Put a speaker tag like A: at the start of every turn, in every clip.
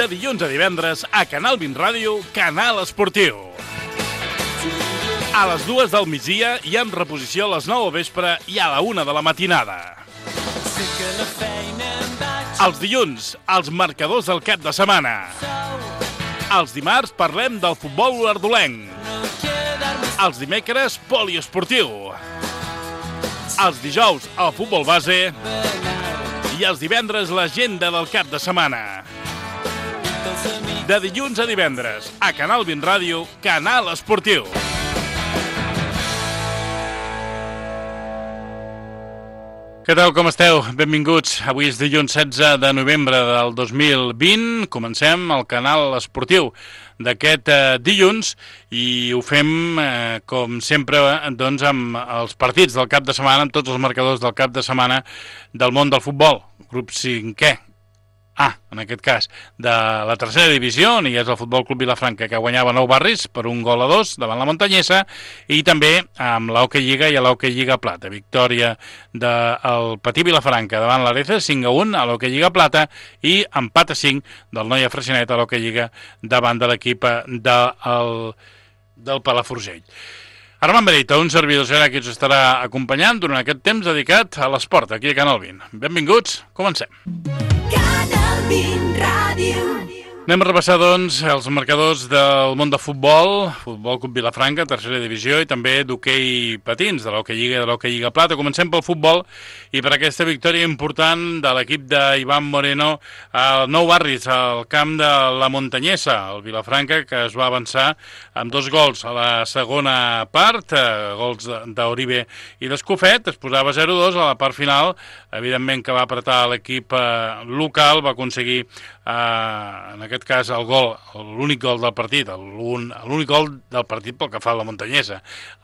A: dilluns a divendres a Canal 20 Ràdio, Canal Esportiu. A les 2 del migdia i en reposició a les 9 del vespre i a la 1 de la matinada. Els dilluns, els marcadors del cap de setmana. Els dimarts parlem del futbol ardolenc. Els dimecres, poliesportiu. Els dijous, el futbol base. I els divendres, l'agenda del cap de setmana. De dilluns a divendres, a Canal 20 Ràdio, Canal Esportiu. Què tal, com esteu? Benvinguts. Avui és dilluns 16 de novembre del 2020. Comencem el Canal Esportiu d'aquest dilluns i ho fem, com sempre, doncs, amb els partits del cap de setmana, amb tots els marcadors del cap de setmana del món del futbol. Grup 5è. En aquest cas, de la tercera divisió, on hi és el Futbol Club Vilafranca, que guanyava 9 Barris per 1-2 davant la Montanyesa, i també amb l'Hockey Lliga i l'Hockey Lliga Plata. Victòria del Patí Vilafranca davant l'Areza, 5-1 a l'Hockey Lliga Plata, i empat a 5 del Noia Freixenet a l'Hockey Lliga davant de l'equip del Palafrugell. Armand Berita, un servidor serà qui us estarà acompanyant durant aquest temps dedicat a l'esport, aquí a Canal 20. Benvinguts, comencem. Anem a repassar, doncs, els marcadors del món de futbol, Futbol Club Vilafranca, tercera divisió, i també d'hoquei patins, de l'Hockey Lliga i de l'Hockey Lliga Plata. Comencem pel futbol i per aquesta victòria important de l'equip d'Ivan Moreno al Nou Barris, al camp de la Montanyesa, el Vilafranca, que es va avançar amb 2 gols a la segona part, gols d'Oribe i d'Escofet. Es posava 0-2 a la part final, evidentment que va apretar l'equip local, va aconseguir en aquest cas el gol, l'únic gol del partit, l'únic gol del partit pel que fa a la Montanyesa,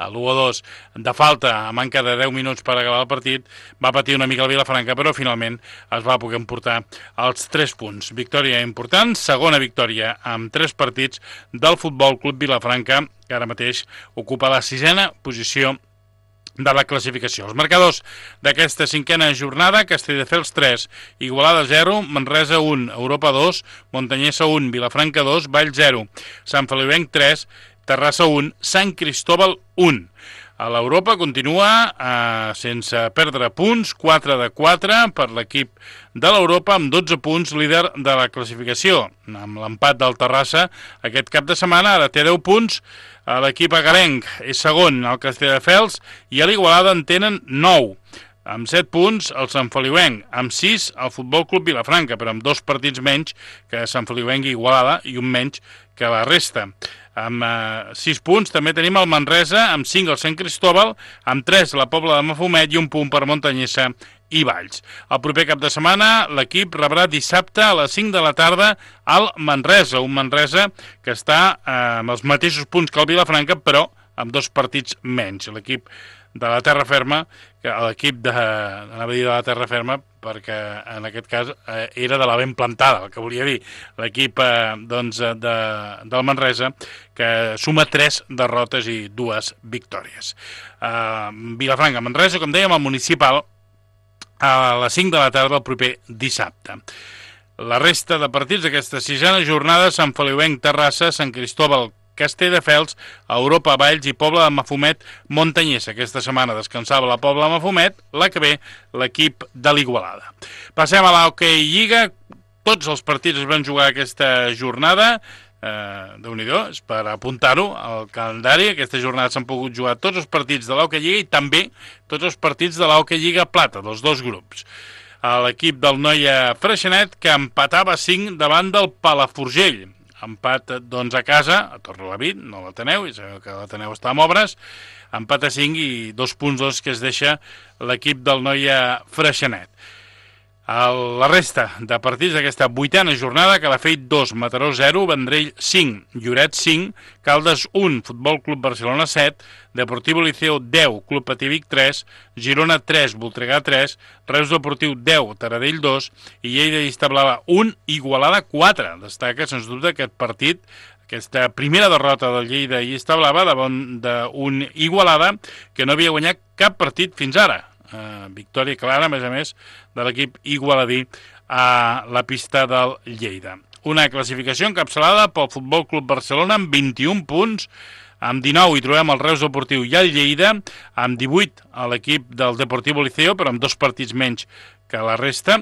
A: l'1-2 de falta a manca de 10 minuts per acabar el partit. Va patir una mica el Vilafranca, però finalment es va poder emportar els 3 punts. Victòria important, segona victòria amb 3 partits del Futbol Club Vilafranca, que ara mateix ocupa la 6a posició de la classificació. Els marcadors d'aquesta 5a jornada: Castelldefels 3, Igualada 0, Manresa 1, Europa 2, Montanyesa 1, Vilafranca 2, Vall 0, Sant Feliuenc 3, Terrassa 1, Sant Cristóbal 1. A l'Europa continua sense perdre punts, 4 de 4 per l'equip de l'Europa, amb 12 punts, líder de la classificació. Amb l'empat del Terrassa aquest cap de setmana, ara té 10 punts. L'equip agarenc és segon, el Castelldefels, i a l'Igualada en tenen 9. Amb 7 punts, el Sant Feliuenc, amb 6, el Futbol Club Vilafranca, però amb 2 partits menys que Sant Feliuenc i Igualada, i un menys que la resta. Amb 6 punts també tenim el Manresa, amb 5 el Sant Cristóbal, amb 3 la Pobla de Mafumet i un punt per Montanyesa i Valls. El proper cap de setmana l'equip rebrà dissabte a les 5 de la tarda al Manresa, un Manresa que està amb els mateixos punts que el Vilafranca, però amb 2 partits menys. L'equip de la terra ferma, l'equip de la terra ferma, perquè en aquest cas era de la ben plantada, el que volia dir, l'equip del Manresa, que suma 3 derrotes i 2 victòries. Vilafranca-Manresa, com dèiem, el municipal, a les 5 de la tarda el proper dissabte. La resta de partits d'aquesta 6a jornada: Sant Feliuenc, Terrassa, Sant Cristóbal, Castelldefels, Europa, Valls i Pobla de Mafumet, Montanyesa. Aquesta setmana descansava la Pobla de Mafumet, la que ve l'equip de l'Igualada. Passem a l'Hockey Lliga. Tots els partits es van jugar aquesta jornada. Déu-n'hi-do, és per apuntar-ho al calendari. Aquesta jornada s'han pogut jugar tots els partits de l'Hockey Lliga i també tots els partits de l'Hockey Lliga Plata, dels 2 grups. L'equip del Noia Freixenet, que empatava 5 davant del Palafrugell. Empat, doncs, a casa, a Torrelavit, no l'Ateneu, i sabeu que l'Ateneu està amb obres. Empat a 5 i 2 punts que es deixa l'equip del Noia Freixenet. La resta de partits d'aquesta 8a jornada: Calafell 2, Mataró 0, Vendrell 5, Lloret 5, Caldes 1, Futbol Club Barcelona 7, Deportivo Liceo 10, Club Patí Vic 3, Girona 3, Voltregà 3, Reus Deportiu 10, Taradell 2 i Lleida i Establava 1, Igualada 4. Destaca, sens dubte, aquest partit, aquesta primera derrota del Lleida i Establava davant d'un Igualada que no havia guanyat cap partit fins ara. Victòria clara, a més, de l'equip igualadí a la pista del Lleida. Una classificació encapçalada pel Futbol Club Barcelona amb 21 punts, amb 19 hi trobem el Reus Deportiu i el Lleida, amb 18 a l'equip del Deportivo Liceo, però amb 2 partits menys que la resta,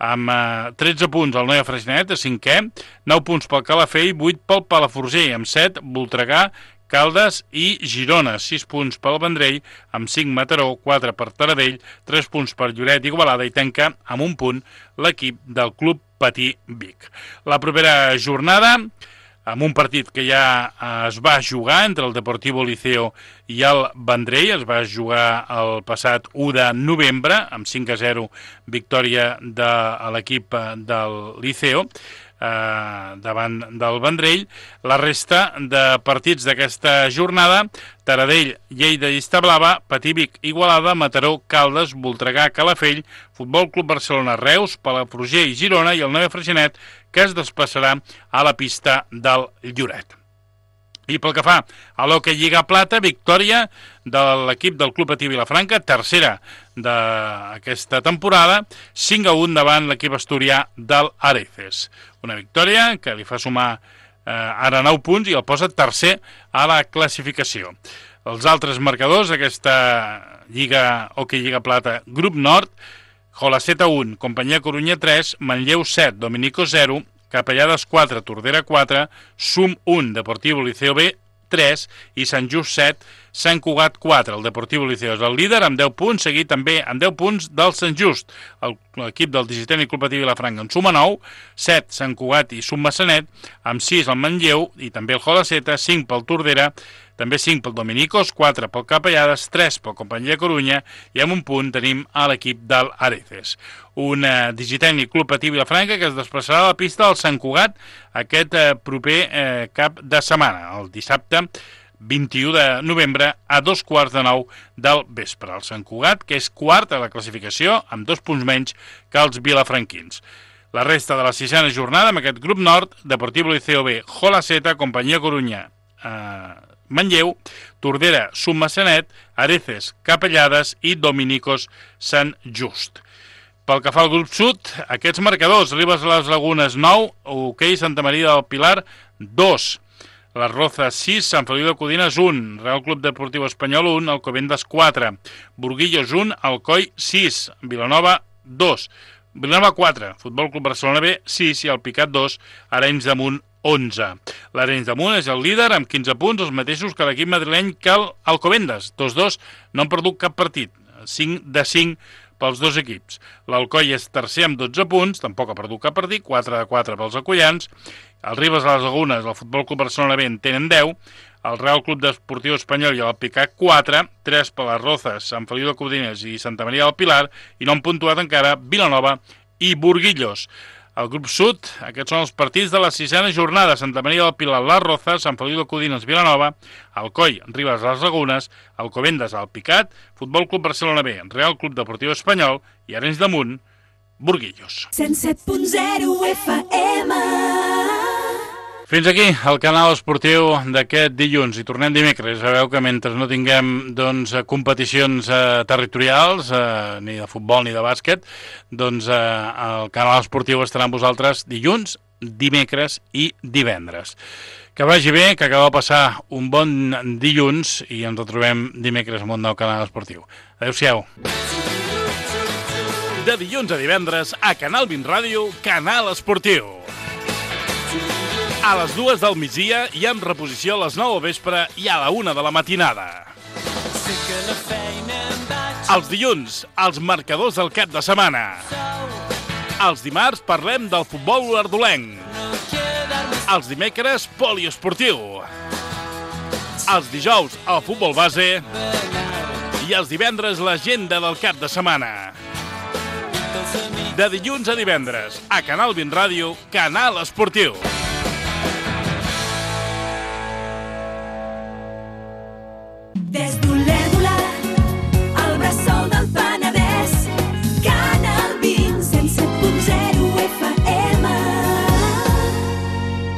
A: amb 13 punts el Noia Freixenet, a 5è, 9 punts pel Calafell, 8 pel Palafrugell, amb 7 Voltregà, Caldes i Girona, 6 punts pel Vendrell, amb 5 Mataró, 4 per Taradell, 3 punts per Lloret i Igualada i tanca amb un punt l'equip del Club Patí Vic. La propera jornada, amb un partit que ja es va jugar entre el Deportivo Liceo i el Vendrell, es va jugar el passat 1 de novembre, amb 5-0 victòria de l'equip del Liceo, davant del Vendrell. La resta de partits d'aquesta jornada: Taradell, Lleida i Establava, Patí Vic, Igualada, Mataró, Caldes, Voltregà, Calafell, Futbol Club Barcelona, Reus, Palafrugell, Girona i el Noia Freixenet, que es desplaçarà a la pista del Lloret. I pel que fa a l'hoquei Lliga Plata, victòria de l'equip del Club Patí Vilafranca, tercera d'aquesta temporada, 5-1 davant l'equip asturià del Areces. Una victòria que li fa sumar ara 9 punts i el posa tercer a la classificació. Els altres marcadors d'aquesta hoquei Lliga Plata, Grup Nord: Jolaceta 1, Companyia Corunya 3, Manlleu 7, Dominico 0, Capellades 4, Tordera 4, Sum 1, Deportivo Liceo B 3 i Sant Just 7, Sant Cugat 4. El Deportivo Liceo és el líder amb 10 punts, seguit també amb 10 punts del Sant Just. L'equip del Digitent i Club Patí Vilafranca en suma 9, 7 Sant Cugat i Sum Massanet, amb 6 el Manlleu i també el Jolaceta, 5 pel Tordera, també 5 pel Dominicos, 4 pel Capellades, 3 pel Companyia Corunya i amb un punt tenim a l'equip del Areces. Un Digitent i Club Patí Vilafranca que es desplaçarà a la pista del Sant Cugat aquest proper cap de setmana, el dissabte 21 de novembre a 8:15 del vespre. El Sant Cugat, que és quart a la classificació, amb 2 punts menys que els vilafranquins. La resta de la sisena jornada amb aquest grup nord: Deportivo Liceo B, Jolaceta, Companyia Corunya, Manlleu, Tordera, Sum Massanet, Areces, Capellades i Dominicos Sant Just. Pel que fa al grup sud, aquests marcadors: Ribes a les Lagunes 9, hoquei Santa Maria del Pilar 2, Les Rozas 6, Sant Feliu de Codines 1, Real Club Deportiu Espanyol 1, Alcobendas 4, Burguillos 1, Alcoi 6, Vilanova 2, Vilanova 4, Futbol Club Barcelona B 6 i el Picat 2, Arenys de Munt 11. L'Arenys de Munt és el líder amb 15 punts, els mateixos que l'equip madrileny que l'Alcobendas. Tots dos no han perdut cap partit, 5 de 5 pels dos equips. L'Alcoi és tercer amb 12 punts, tampoc ha perdut cap partit, 4 de 4 pels acollans. El Ribes a les Lagunes, el Futbol Club Barcelona B en tenen 10, el Real Club Deportiu Espanyol i el Picat 4, 3 per les Rozas, Sant Feliu de Codines i Santa Maria del Pilar, i no han puntuat encara Vilanova i Burguillos. Al grup sud, aquests són els partits de la sisena jornada: Santa Maria del Pilar, Les Rozas, Sant Feliu de Codines, Vilanova, Alcoi, Ribes a les Lagunes, Alcobendas, el Picat, Futbol Club Barcelona B, Real Club Deportiu Espanyol i Arenys de Munt, Burguillos.
B: 107.0 FM.
A: Fins aquí el canal esportiu d'aquest dilluns i tornem dimecres. Sabeu que mentre no tinguem competicions territorials, ni de futbol ni de bàsquet, el canal esportiu estarà amb vosaltres dilluns, dimecres i divendres. Que vagi bé, que acabeu de passar un bon dilluns i ens retrobem dimecres amb un nou canal esportiu. Adéu-siau. De dilluns a divendres a Canal 20 Ràdio, Canal Esportiu. A les 2 del migdia i amb reposició a les 9 del vespre i a la 1 de la matinada. Els dilluns, els marcadors del cap de setmana. Els dimarts parlem del futbol olordolenc. Els dimecres, poliesportiu. Els dijous, el futbol base. I els divendres, l'agenda del cap de setmana. De dilluns a divendres, a Canal 20 Ràdio, Canal Esportiu.
B: Des d'un